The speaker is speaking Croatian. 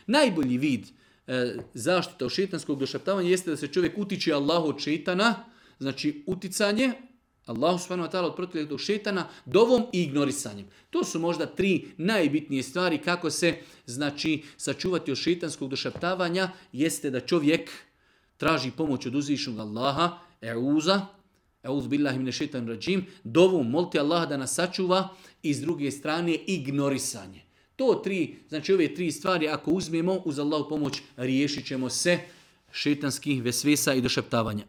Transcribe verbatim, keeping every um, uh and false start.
Najbolji vid e, zaštita od šeitanskog došaptavanja jeste da se čovjek utiče Allahu od šeitana, znači uticanje Allahu subhanahu wa ta'ala od protivljetog šeitana, dovom i ignorisanjem. To su možda tri najbitnije stvari kako se znači sačuvati od šeitanskog došaptavanja, jeste da čovjek traži pomoć od uzvišenog Allaha, e'uza, e'uz billahi mine šeitan rađim, dovom, moliti Allaha da nas sačuva i s druge strane ignorisanje. To tri, znači ove tri stvari ako uzmemo uz Allahu pomoć riješit ćemo se šeitanskih vesvesa i došaptavanja.